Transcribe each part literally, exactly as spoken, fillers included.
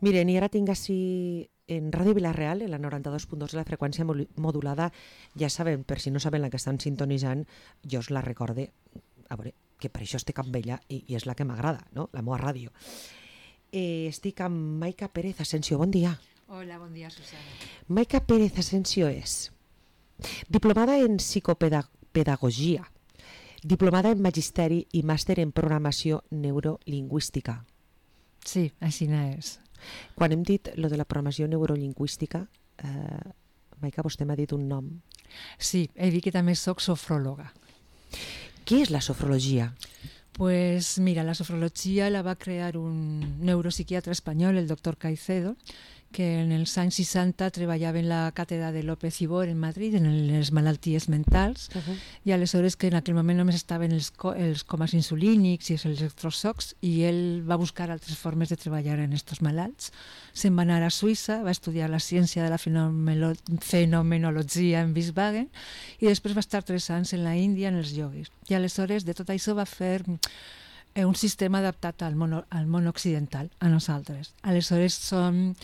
Miren, i ara tinc així en Ràdio Vila-real, en la noranta-dos punt dos de la freqüència modulada, ja saben, per si no saben la que estan sintonitzant, jo us la recorde, a veure, que per això estic amb ella i, i és la que m'agrada, no? La meva ràdio. Eh, estic amb Maica Pérez Asensio, bon dia. Hola, bon dia, Susana. Maica Pérez Asensio és diplomada en psicopedagogia, diplomada en magisteri i màster en programació neurolingüística. Sí, així és. Quan hem dit lo de la programació neurolingüística, eh, Maica, vostè m'ha dit un nom. Sí, he dit que també soc sofròloga. Què és la sofrologia? Pues mira, la sofrologia la va crear un neuropsiquiatra espanyol, el doctor Caicedo, que en els anys seixanta treballava en la càtedra de López i Bor en Madrid, en les malalties mentals, uh-huh. i aleshores que en aquell moment només estaven els, co els comes insulínics i els electrosocs, i ell va buscar altres formes de treballar en aquests malalts. Se'n va anar a Suïssa, va estudiar la ciència de la fenomenologia en Wiesbaden, i després va estar tres anys en la Índia en els ioguis. I aleshores de tot això va fer un sistema adaptat al món, al món occidental, a nosaltres. Aleshores són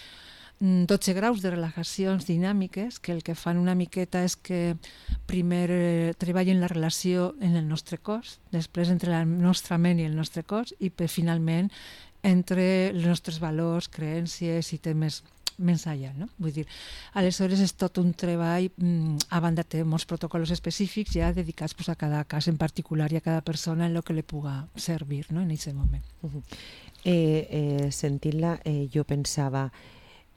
dotze graus de relaxacions dinàmiques que el que fan una miqueta és que primer eh, treballen la relació en el nostre cos, després entre la nostra ment i el nostre cos, i per, finalment entre els nostres valors, creences i temes més enllà, no? Vull dir, aleshores és tot un treball, a banda té molts protocols específics ja dedicats pues, a cada cas en particular i a cada persona en el que li puga servir, no? En aquest moment. Uh-huh. eh, eh, Sentint-la, eh, jo pensava,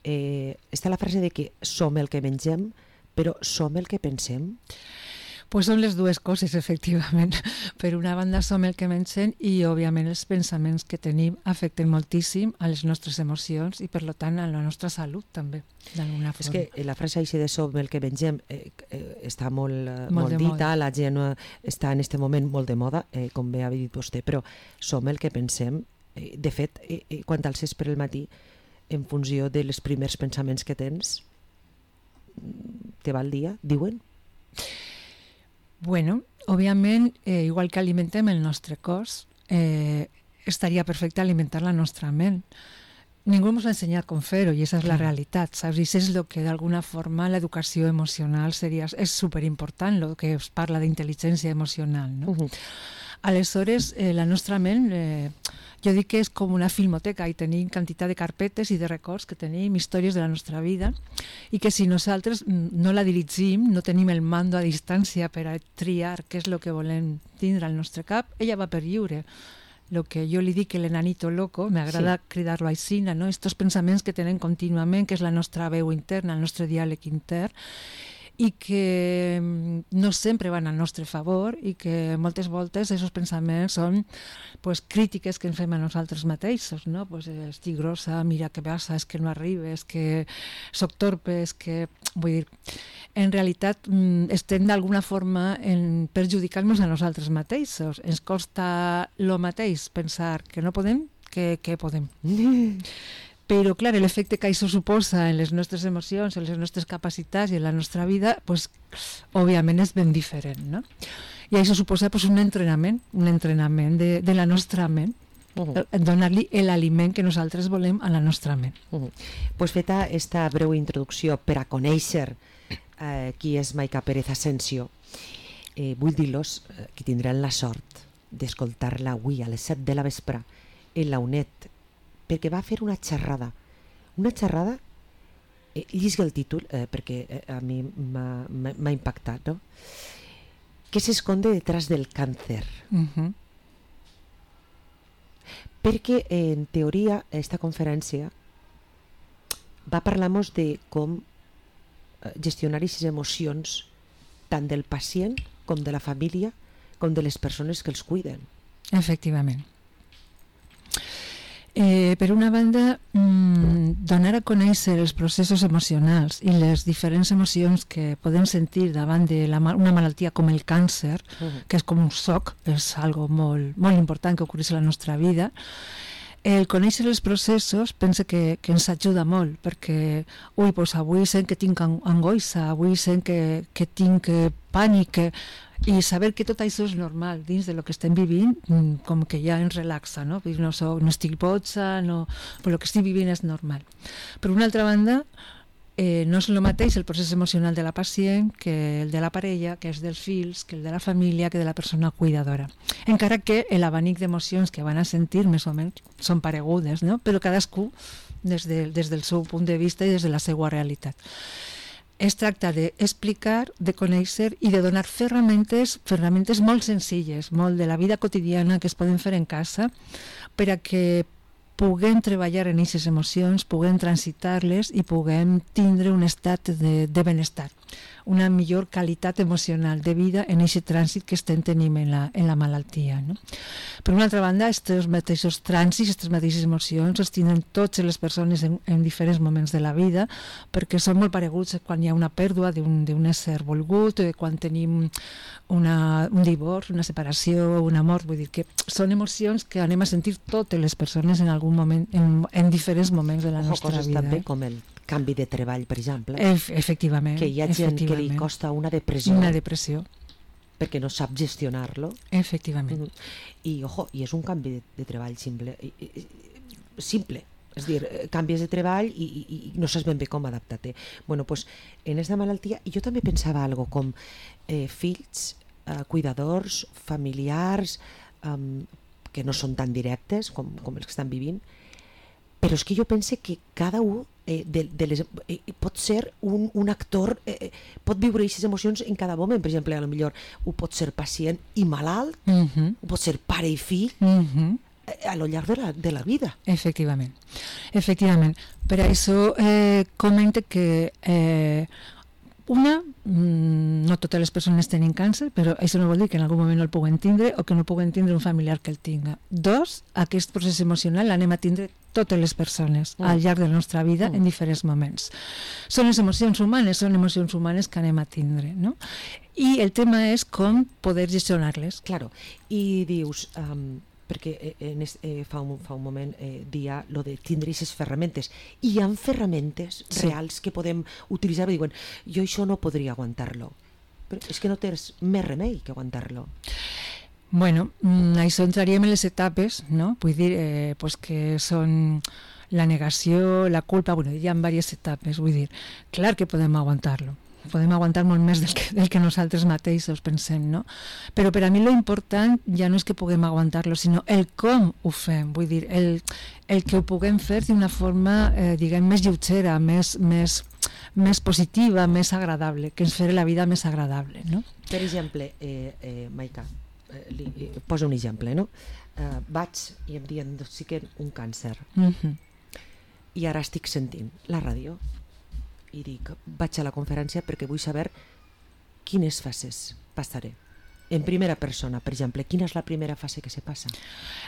eh, està la frase de que som el que mengem, però som el que pensem? Pues són les dues coses, efectivament. Per una banda som el que mengem i, òbviament, els pensaments que tenim afecten moltíssim a les nostres emocions i, per tant, a la nostra salut, també, d'alguna forma. És que la frase així de som el que mengem eh, eh, està molt, eh, molt, molt dita, moda. La gent eh, està en aquest moment molt de moda, eh, com bé ha dit vostè, però som el que pensem. Eh, de fet, eh, eh, quan t'alces per el matí, en funció dels primers pensaments que tens, te va el dia, diuen? Bueno, òbviament, eh, igual que alimentem el nostre cos, eh, estaria perfecte alimentar la nostra ment. Ningú ens ha ensenyat com fer-ho i aquesta és la realitat, saps? I això és el que d'alguna forma l'educació emocional seria, és superimportant, el que es parla d'intel·ligència emocional, no? Uh-huh. Aleshores, eh, la nostra ment, eh, jo dic que és com una filmoteca i tenim quantitat de carpetes i de records que tenim, històries de la nostra vida, i que si nosaltres no la dirigim, no tenim el mando a distància per a triar què és el que volem tindre al nostre cap, ella va per lliure. El que jo li dic l'enanito loco, m'agrada sí. cridar-lo així, no? Estos pensaments que tenen contínuament, que és la nostra veu interna, el nostre diàleg intern, i que no sempre van al nostre favor i que moltes voltes aquests pensaments són pues, crítiques que ens fem a nosaltres mateixos, no? Pues, estic grossa, mira què passa, és que no arribes, que soc torpe, és que... Vull dir, en realitat estem d'alguna forma en perjudicar-nos a nosaltres mateixos. Ens costa el mateix pensar que no podem que, que podem. Però, clar, l'efecte que això suposa en les nostres emocions, en les nostres capacitats i en la nostra vida, pues, òbviament és ben diferent, no? I això suposa pues, un entrenament, un entrenament de, de la nostra ment, uh-huh. donar-li l'aliment que nosaltres volem a la nostra ment. Uh-huh. Pues feta esta breu introducció per a conèixer eh, qui és Maica Pérez Asensio, eh, vull dir-los eh, que tindran la sort d'escoltar-la avui a les set de la vespre en la UNED, perquè va fer una xerrada, una xerrada, eh, llisga el títol, eh, perquè eh, a mi m'ha impactat, no? ¿Qué se esconde detrás del cáncer? Uh-huh. Perquè, eh, en teoria, esta conferència va parlar-nos de com eh, gestionar aquestes emocions tant del pacient com de la família com de les persones que els cuiden. Efectivament. Eh, per una banda, mmm, donar a conèixer els processos emocionals i les diferents emocions que podem sentir davant d'una malaltia com el càncer, uh-huh. que és com un xoc, és algo molt, molt important que ocorreix a la nostra vida, el conèixer els processos penso que, que ens ajuda molt, perquè ui, doncs avui sent que tinc angoixa, avui sent que, que tinc pànic, que, i saber que tot això és normal dins de lo que estem vivint, com que ja ens relaxa, no? No, soc, no estic boja, no, però el que estic vivint és normal. Per una altra banda, Eh, no és el mateix el procés emocional de la pacient que el de la parella, que és dels fills, que el de la família, que de la persona cuidadora. Encara que l'abanic d'emocions que van a sentir més o menys són paregudes, no? Però cadascú des, de, des del seu punt de vista i des de la seva realitat. Es tracta d'explicar, de conèixer i de donar ferramentes, ferramentes molt senzilles, molt de la vida quotidiana que es poden fer en casa per a que puguem treballar en aquestes emocions, puguem transitar-les i puguem tindre un estat de, de benestar, una millor qualitat emocional de vida en aquest trànsit que estem tenint en la, en la malaltia, no? Per una altra banda, aquests mateixos trànsits, aquestes mateixes emocions els tenen totes les persones en, en diferents moments de la vida, perquè són molt pareguts quan hi ha una pèrdua d'un ésser volgut, quan tenim una, un divorci, una separació, una mort. Vull dir que són emocions que anem a sentir totes les persones en algun moment, en, en diferents moments de la Ojo, nostra coses vida. també eh? com el canvi de treball, per exemple, Ef efectivament, que hi ha gent que li costa una depressió, una depressió perquè no sap gestionar-lo. Efectivament. Mm. I, ojo, i és un canvi de, de treball simple, i, i, simple, és dir, canvies de treball i, i, i no saps ben bé com adaptar-te. Bueno, pues, en aquesta malaltia, i jo també pensava algo com eh, fills, eh, cuidadors, familiars, um, que no són tan directes com, com els que estan vivint, però és que jo pense que cada un eh, de, de les, eh, pot ser un, un actor, eh, pot viure aquestes emocions en cada moment. Per exemple, a lo millor ho pot ser pacient i malalt, uh -huh. ho pot ser pare i fill, uh -huh. eh, a lo llarg de la, de la vida. Efectivament, efectivament. Per això eh, comente que eh, una, mmm, no totes les persones tenen càncer, però això no vol dir que en algun moment no el puguen tindre o que no puguen tindre un familiar que el tinga. Dos, aquest procés emocional l'anem a tindre totes les persones mm. al llarg de la nostra vida mm. en diferents moments. Són les emocions humanes, són emocions humanes que anem a tindre, no? I el tema és com poder gestionar-les. Claro, i dius... Um, perquè en es, eh, fa, un, fa un moment eh, dia lo de tindre aquestes ferramentes, i hi ha ferramentes sí. reals que podem utilitzar i diuen, jo això no podria aguantar-lo, però és que no tens més remei que aguantar-lo. Bueno, això entraríem en les etapes, no? Vull dir, eh, pues que són la negació, la culpa, bueno, hi ha diverses etapes, vull dir, clar que podem aguantar-lo, podem aguantar molt més del que, del que nosaltres mateixos pensem, no? Però per a mi lo important ja no és que puguem aguantar-lo, sinó el com ho fem, vull dir, el, el que ho puguem fer d'una forma, eh, diguem, més lleugera, més, més, més positiva, més agradable, que ens farà la vida més agradable, no? Per exemple, eh, eh, Maica, eh, li, eh, posa un exemple, no? Eh, vaig i em diagnostiquen un càncer, uh-huh. i ara estic sentint la ràdio, i dic, vaig a la conferència perquè vull saber quines fases passaré. En primera persona, per exemple, quina és la primera fase que se passa?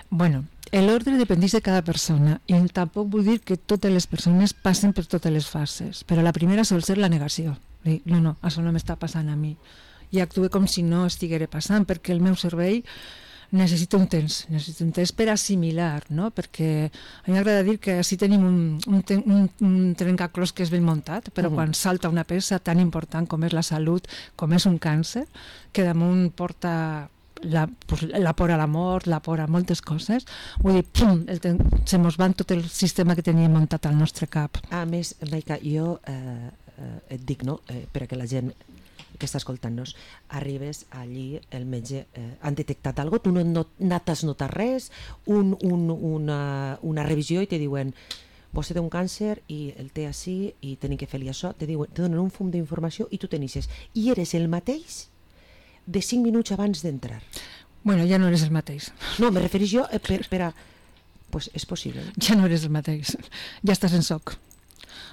Bueno, l'ordre dependeix de cada persona i tampoc vull dir que totes les persones passen per totes les fases, però la primera sol ser la negació. Dic, no, no, això no m'està passant a mi. I actuo com si no estiguera passant, perquè el meu cervell necessita un temps, necessita un temps per assimilar, no? Perquè a mi m'agrada dir que si tenim un, un, un, un trencaclòs que és ben muntat, però uh-huh. quan salta una peça tan important com és la salut, com és un càncer, que damunt porta la, pues, la por a la mort, la por a moltes coses, vull dir, pum, el, se mos va tot el sistema que teníem muntat al nostre cap. A més, Maica, jo eh, eh, et dic, no?, eh, perquè la gent que està escoltant-nos, arribes allí, el metge, eh, han detectat alguna cosa, tu no, no t'has notat res, un, un, una, una revisió i te diuen, vostè té un càncer i el té així i tenim que fer-li això, te, diuen, te donen un fum d'informació i tu tenisses. I eres el mateix de cinc minuts abans d'entrar. Bueno, ja no eres el mateix. No, me refereix jo eh, per, per a... Pues és possible. Ja no eres el mateix, ja estàs en soc.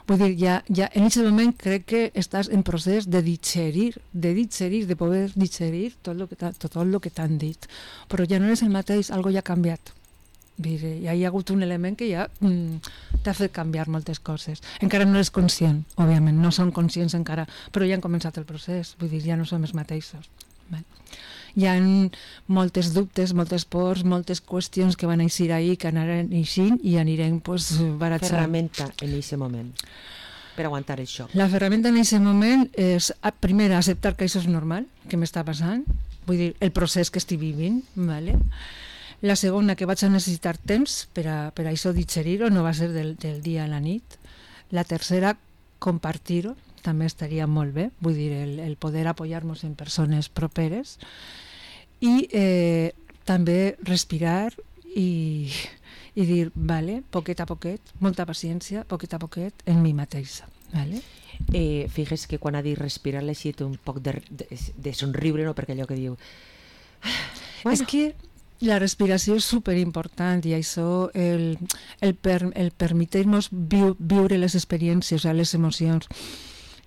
Vull dir, ja, ja en aquest moment crec que estàs en procés de digerir, de digerir, de poder digerir tot el que, tot el que t'han dit. Però ja no és el mateix, algo ja ha canviat. Dir, ja hi ha hagut un element que ja mm, t'ha fet canviar moltes coses. Encara no eres conscient, òbviament, no som conscients encara, però ja han començat el procés, vull dir, ja no som els mateixos. Bé. hi ha moltes dubtes, moltes pors, moltes qüestions que van eixir ahir, que anaran eixint i anirem pues, baratjant. Ferramenta en aquest moment per aguantar el xoc. La ferramenta en aquest moment és, primer, acceptar que això és normal, que m'està passant, vull dir, el procés que estic vivint, ¿vale? La segona, que vaig a necessitar temps per a, per a això digerir-ho, no va ser del, del dia a la nit. La tercera, compartir-ho, també estaria molt bé, vull dir, el, el poder apoyar-nos en persones properes. I eh, també respirar i, i dir, vale, poquet a poquet, molta paciència, poquet a poquet, en mi mateixa. Vale? Eh, fixes que quan ha dit respirar l'ha eixit un poc de, de, de somriure, no? Perquè allò que diu... Bueno. És que la respiració és superimportant i això, el, el, per, el permetir-nos viu, viure les experiències, les emocions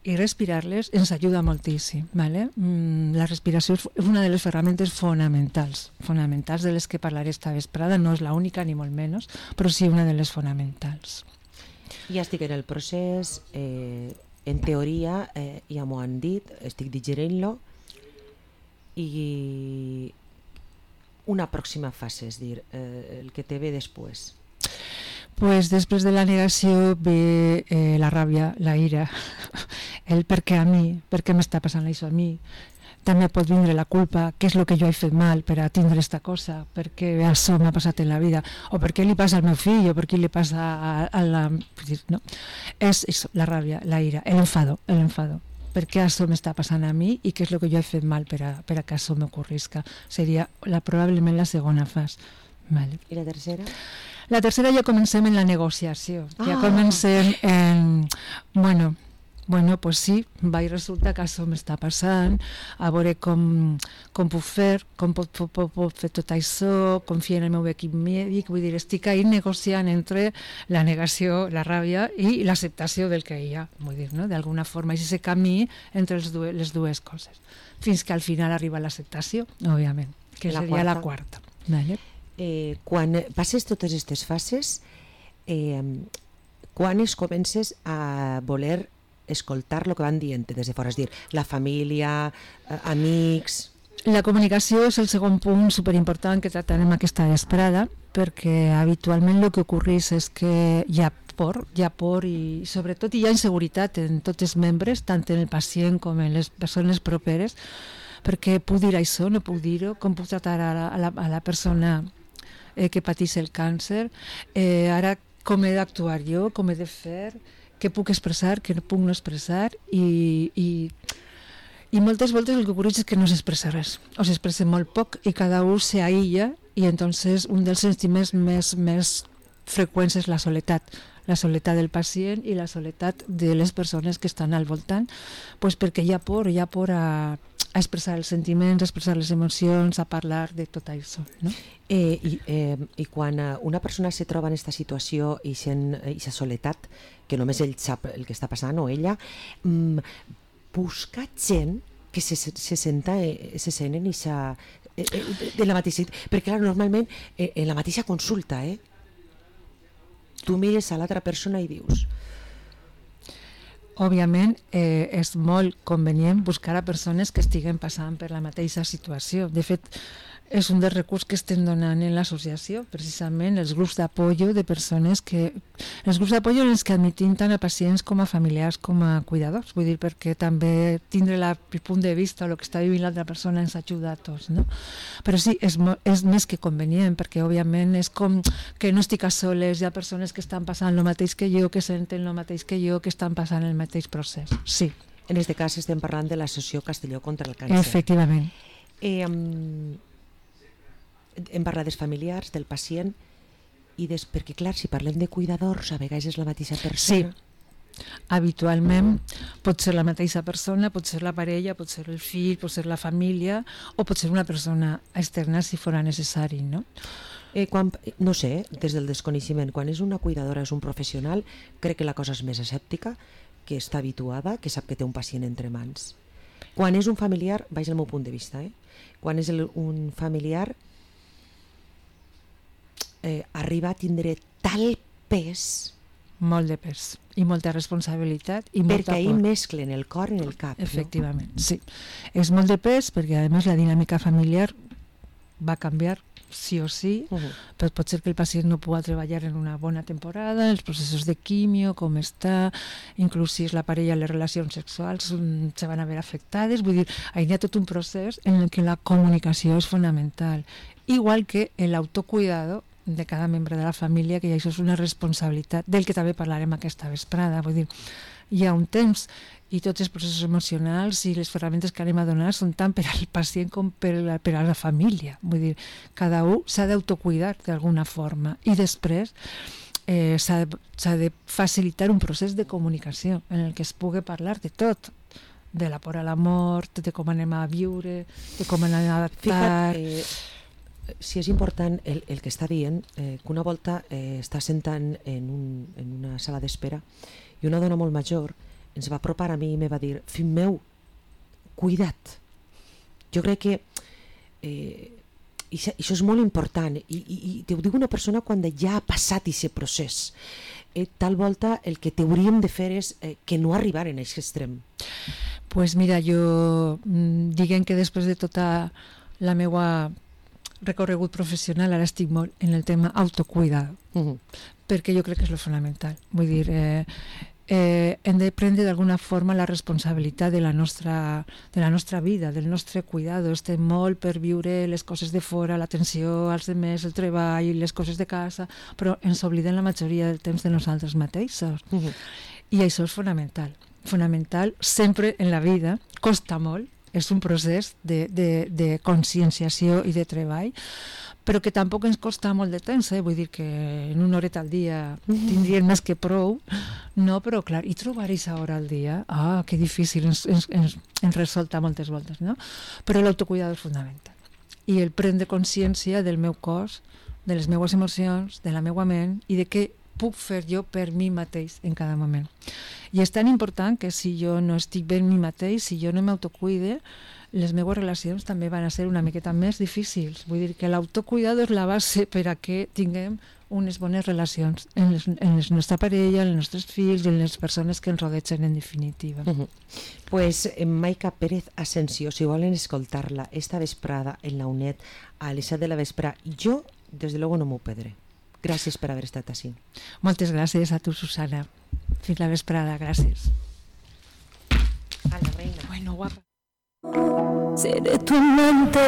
i respirar-les ens ajuda moltíssim. ¿Vale? Mm, la respiració és una de les ferramentes fonamentals, fonamentals de les que parlaré esta vesprada, no és l'única ni molt menys, però sí una de les fonamentals. Ja estic en el procés, eh, en teoria eh, ja m'ho han dit, estic digerint-lo i una pròxima fase, és dir, eh, el que te ve després. Pues després de la negació ve eh, la ràbia, la ira, el per què a mi, per què m'està passant això a mi. També pot vindre la culpa, què és el que jo he fet mal per a tindre esta cosa, per què això m'ha passat en la vida, o per què li passa al meu fill, o per què li passa a, a la... No. És això, la ràbia, la ira, l'enfado, l'enfado. Per què això m'està passant a mi i què és el que jo he fet mal per a, per a que això m'ocorrisca. Seria la, probablement la segona fase. Vale. I la tercera? La tercera ja comencem en la negociació. Ah. Ja comencem en... Bueno, bueno, pues sí, va i resulta que això m'està passant, a veure com, com puc fer, com pot, pot, pot, pot fer tot això, confiar en el meu equip mèdic, vull dir, estic ahí negociant entre la negació, la ràbia i l'acceptació del que hi ha, vull dir, no? D'alguna forma, és aquest camí entre els dues, les dues coses, fins que al final arriba l'acceptació, òbviament, que la seria quarta. la quarta. Vale? Eh, quan passes totes aquestes fases, eh, quan es comences a voler escoltar el que van dient des de fora, és dir, la família, eh, amics... La comunicació és el segon punt superimportant que tractarem aquesta vesprada, perquè habitualment el que ocorreix és que hi ha por, hi ha por i sobretot hi ha inseguretat en tots els membres, tant en el pacient com en les persones properes, perquè puc dir això, no puc dir-ho, com puc tractar a la, a la, a la persona eh, que pateix el càncer, eh, ara com he d'actuar jo, com he de fer, què puc expressar, què no puc no expressar i, i, i moltes voltes el que ocorre és que no s'expressa res o s'expressa molt poc i cada un s'aïlla i entonces un dels sentiments més, més freqüents és la soledat la soledat del pacient i la soledat de les persones que estan al voltant, pues perquè hi ha por, hi ha por a, a expressar els sentiments, a expressar les emocions, a parlar de tot això, no? Eh, i, eh, I quan una persona se troba en aquesta situació i sent aquesta soledat, que només ell sap el que està passant o ella, mmm, busca gent que se, se senta, eh, se sent en aquesta, eh, de la mateixa, perquè clar, normalment eh, en la mateixa consulta, eh, tu mires a l'altra persona i dius... Òbviament eh, és molt convenient buscar a persones que estiguen passant per la mateixa situació. De fet, és un dels recursos que estem donant en l'associació, precisament els grups d'apoyo de persones que... Els grups d'apoyo en els que admetim tant a pacients com a familiars com a cuidadors, vull dir, perquè també tindre la, el punt de vista o el que està vivint l'altra persona ens ajuda a tots, no? Però sí, és, és més que convenient, perquè òbviament és com que no estic a soles, hi ha persones que estan passant el mateix que jo, que senten el mateix que jo, que estan passant el mateix procés, sí. En aquest cas estem parlant de l'Associació Castelló contra el Càncer. Efectivament. Eh, um... hem parlat dels familiars, del pacient i des... perquè clar, si parlem de cuidadors a vegades és la mateixa persona. Sí, habitualment pot ser la mateixa persona, pot ser la parella, pot ser el fill, pot ser la família o pot ser una persona externa si fora necessari, no? Eh, quan, no sé, des del desconeixement, quan és una cuidadora, és un professional, crec que la cosa és més escèptica, que està habituada, que sap que té un pacient entre mans. Quan és un familiar, vaig al meu punt de vista, eh? Quan és el, un familiar eh, arriba a tindre tal pes molt de pes i molta responsabilitat i molta perquè ahí por. mesclen el cor en el cap. Efectivament, no? Sí. És molt de pes perquè, a més, la dinàmica familiar va canviar sí o sí, uh -huh. però pot ser que el pacient no pugui treballar en una bona temporada, els processos de quimio, com està, inclús si és la parella, les relacions sexuals um, se van a veure afectades. Vull dir, hi ha tot un procés en el que la comunicació és fonamental, igual que l'autocuidado de cada membre de la família, que això és una responsabilitat del que també parlarem aquesta vesprada. Vull dir, hi ha un temps i tots els processos emocionals i les ferramentes que anem a donar són tant per al pacient com per a, per a la família. Vull dir, cada un s'ha d'autocuidar d'alguna forma i després eh, s'ha de, s'ha de facilitar un procés de comunicació en el que es pugui parlar de tot, de la por a la mort, de com anem a viure, de com anem a adaptar... Fija't, eh, si és important el, el que està dient, eh, que una volta eh, està sentant en, un, en una sala d'espera i una dona molt major ens va apropar a mi i me va dir: fill meu, cuida't. Jo crec que eh, això, això és molt important i, i, i te ho diu una persona quan ja ha passat aquest procés. Eh, tal volta el que t'hauríem de fer és eh, que no arribar en aquest extrem. Pues mira, jo diguem que després de tota la meua recorregut professional ara estic molt en el tema autocuidado, uh-huh. perquè jo crec que és lo fonamental. Vull dir, eh, eh, hem de prendre d'alguna forma la responsabilitat de la nostra, de la nostra vida, del nostre cuidado. Estem molt per viure les coses de fora, l'atenció als demés, el treball, les coses de casa, però ens oblidem la majoria del temps de nosaltres mateixos. Uh-huh. I això és fonamental. Fonamental sempre en la vida, costa molt, és un procés de, de, de conscienciació i de treball, però que tampoc ens costa molt de temps, eh? Vull dir que en una horeta al dia tindrien més que prou, no, però clar, i trobar aquesta hora al dia, ah, que difícil, ens, ens, ens, ens resulta moltes voltes, no? Però l'autocuidado és fundamental. I el prendre consciència del meu cos, de les meues emocions, de la meua ment i de què puc fer jo per mi mateix en cada moment. I és tan important que si jo no estic bé en mi mateix, si jo no m'autocuide, les meves relacions també van a ser una miqueta més difícils. Vull dir que l'autocuidado és la base per a que tinguem unes bones relacions en, les, en la nostra parella, en els nostres fills i en les persones que ens rodegen en definitiva. Uh-huh. Pues Maica Pérez Asensio, si volen escoltar-la esta vesprada en la UNED a les set de la vesprada, jo, des de luego, no m'ho perdré. Gràcies per haver estat així. Moltes gràcies a tu, Susana. Fins la vesprada, gràcies. A la reina. Bueno, guapa. Seré tu amante.